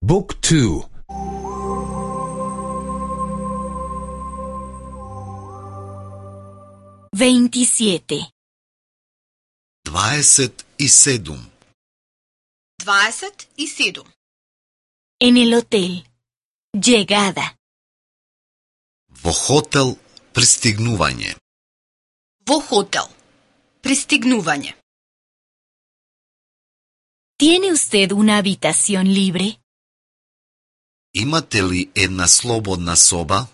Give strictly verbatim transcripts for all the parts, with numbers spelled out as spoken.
Book two. veintisiete. дваесет и седум. дваесет и седум. En el hotel. Llegada. Во хотел пристигнување. Во хотел. Пристигнување. ¿Tiene usted una habitación libre? Имате ли една слободна соба?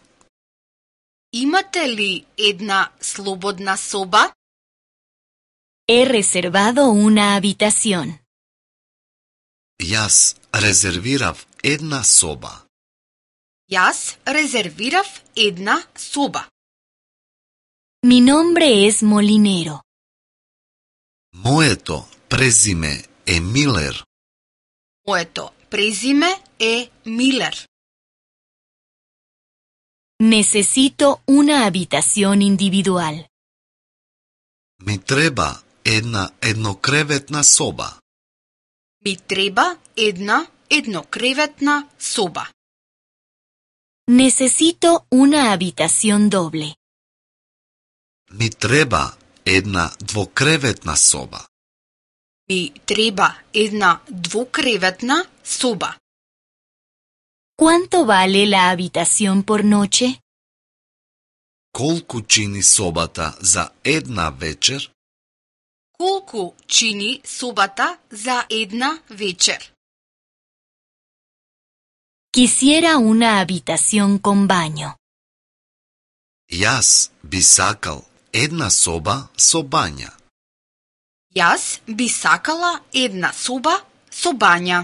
Имате ли една слободна соба? He reservado una habitación. Јас резервирав една соба. Јас резервирав една соба. Mi nombre es Molinero. Моето презиме е Милер. Моето презиме е Милер. Necesito una habitación individual. Ми треба една еднокреветна соба. Ми треба една еднокреветна соба. Necesito una habitación doble. Ми треба една двокреветна соба. Ми треба една двукреветна соба. ¿Cuánto vale la habitación por noche? Колку чини собата за една вечер? Колку чини собата за една вечер? Quisiera una habitación con baño. Јас би сакал една соба со бања. Јас би сакала една соба со бања.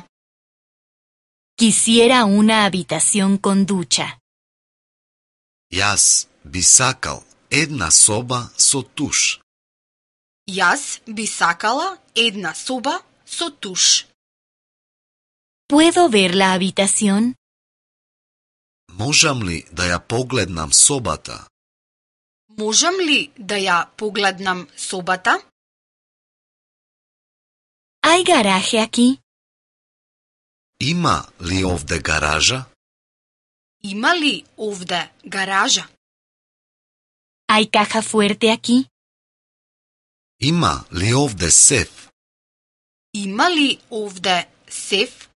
Quisiera una habitación con ducha. Јас би сакал една соба со туш. Јас би сакала една соба со туш. ¿Puedo ver la habitación? Можам ли да ја погледнам собата? Можам ли да ја погледнам собата? ¿Hay garaje aquí? Има ли овде гаража? Има ли овде гаража? ¿Hay caja fuerte aquí? Има ли овде сеф? Има ли овде сеф?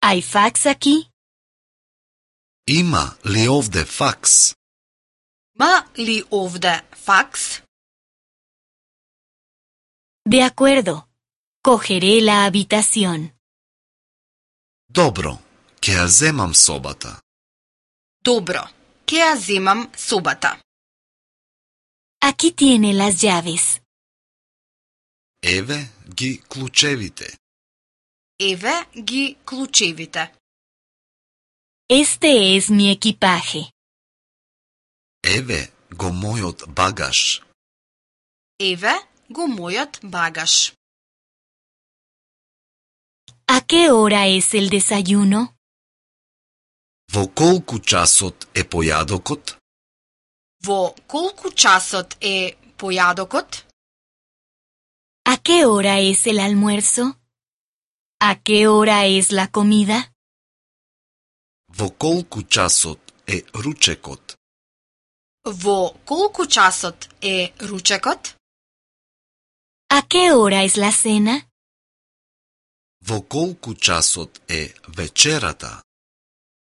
¿Hay fax aquí? Има ли овде факс? Има ли овде факс? De acuerdo. Cogeré la habitación. Добро, ќе ја земам собата. Добро, ќе ја земам собата. Aquí tiene las llaves. Еве ги клучевите. Еве ги клучевите. Este es mi equipaje. Еве го мојот багаж. Еве го мојот багаж. ¿A qué hora es el desayuno? Во колку часот е појадокот? Во колку часот е појадокот? ¿A qué hora es el almuerzo? ¿A qué hora es la comida? Во колку часот е ручекот? Во колку часот е ручекот? ¿A qué hora es la cena? Во колку часот е вечерата?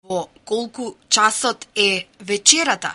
Во колку часот е вечерата?